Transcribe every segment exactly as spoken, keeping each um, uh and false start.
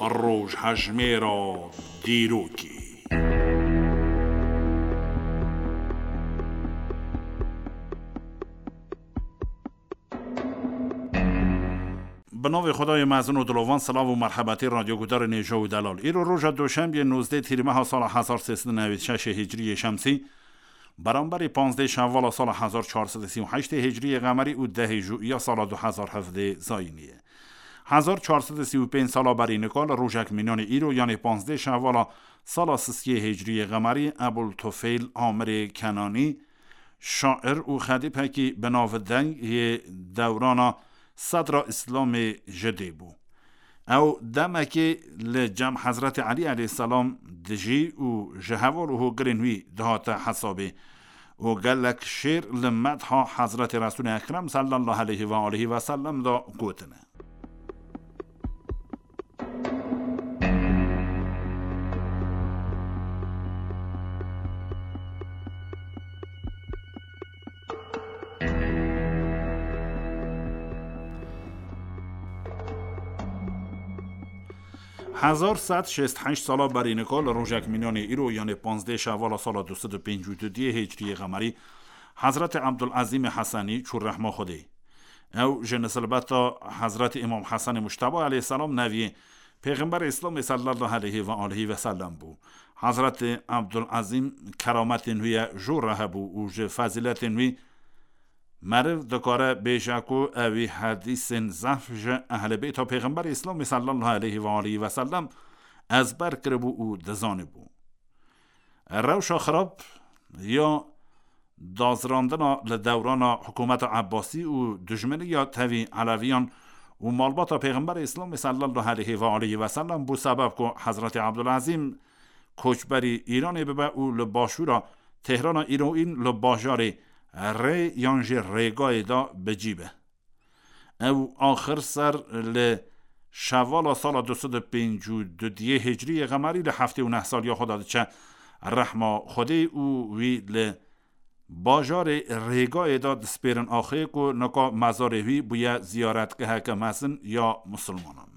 Rojhejmêra dîrokê. Bi navê Xwedayê mezin û dilovan, silav û merhebetê radyogudarên hêja û delal. Îro roja doşembiyê nozdeh Tîrmeha sala hezar sê sed û newêd şeş Hicriyê Şemsî, beramberî panzdeh Şevala sala hezar çar sed û sî û heştê Hicriyê Qemerî û dehê Jûiya sala du hezar hevdeh Zayînî ye. Hezar çar sed û sî û pênc sala berî nika li rojek mînanê îro, yanê panzdeh Şevala sala sisiyê Hicriyê Qemerî, Ebul Tufeyl Amirê Kenanî, şair û xedîpekî bi navdeng yê dewrana sedra Îslamê ji dê bû. Ew demekê li cem Hezretî Elî aleyhisselam dijî û ji heval û hogirên wî dihate hesabê û gelek şêr li medha Hezretî Resûlê Ekrem sallallahu aleyhi ve aleyhi ve sellem de gotine. Hezar sed şêst heşt sala berî nika li rojek mînanê îro, yanê panzdeh Şevala sala du sed û pêncî û du diyê Hicriyê Qemerî, Hezretî Ebdulezîmê Hesenî çû rehma Xwedê. Ew ji nesilbeta Hezretî Îmam Hesenê Mujteba aleyhisselam neviyê Pêxemberê Îslamê sallallahu aleyhi ve aleyhi ve sellem bû. Hezretî Ebdulezîm kerametên wî ye jor re hebû û ji fezîletên wî meriv dikare bêje ku ewî hedîsên zehf ji ehlê bêta Pêxemberê Îslamê sallallahu aleyhi ve aleyhi ve sellem ezber kiribû û dizanibû. Rewşa xirab ya dazrandina li dewrana hikûmeta Ebbasî û dijmeniya tevî Eleviyan û malbata Pêxemberê Îslamê sallallahu aleyhi ve aleyhi ve sellem bû sebeb ku Hezretî Ebdulezîm koçberî Îranê bibe û li başûra Tehrana îroîn li bajarê Rê yan jî Rêgayê de bi cî be. Ew axir ser li Şevala sala du sed û pêncî û du diyê Hicriyê Qemerî li heftê û neh saliya xwe de diçe rehma Xwedê û wî li bajarê Rêgayê de dispêrin axê ku nika mezarê wî bûye ziyaretgeheke mezin ya misilmanan.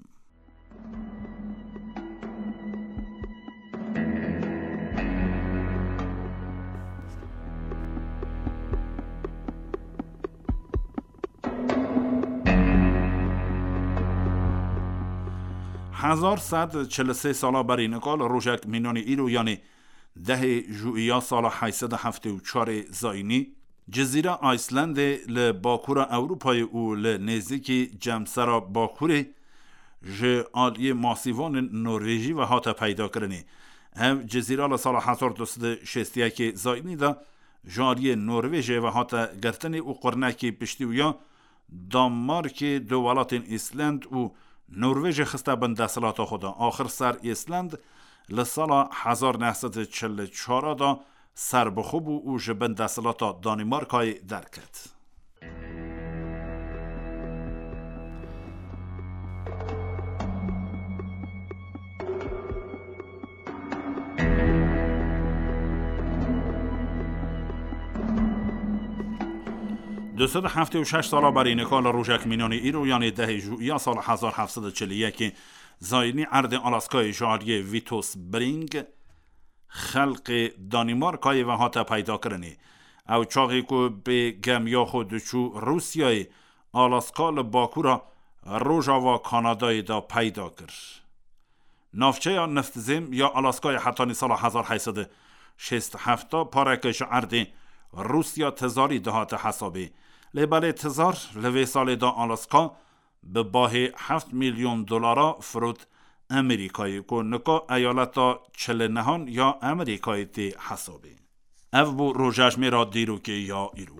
Hezar sed çil û sê sala berî nika li rojek mînanê îro, yanê dehê Jûiya sala heyt sed û heftê û çarê Zayînî, Cizîra Îslandê li bakûra Ewropayê û li nêzîkî Cemsera Bakurê ji aliyê masîvanên Norvêjî ve hate peydakirinê. Ev cizîra li sala hezar du sed û şêst û yekê Zayînî de ji aliyê Norvêjê ve hate girtinê û qurnekî piştî wî ya Danmarkê du welatên Îsland û Norvêjê xiste bin desthilata xwe de. Axir ser Îsland li sala hezar neh sed û çil û çar de serbixwe bû û ji bin desthilata Danîmarkayê derket. Du sed û heftê û şeş sala berî nika li rojek mînanê îro, yanê dehê Jûiya sala hezar heft sed û çil û yekê Zayînî erdê Alaskayê ji aliyê Vitus Bering, xelkê Danîmarkayê ve hate peydakirinê. Ew çaxê ku bi gemiya xwe diçû Rûsyayê, Alaska li bakûra rojava Kanadayê de peyda kir. Navçeya neftzêm ya Alaskayê hetanî sala hezar heyt sed û şêst û heft pareke ji erdê Rûsya tizarî dihate hesabê. Lê belê tizar li vê salê de Alaska bi bahê heft milyon dolara firot Amerîkayê, ku nika eyaleta çil û nehan ya Amerîkayê tê hesabê. Ev bû rojejmêra dîrokê ya îro.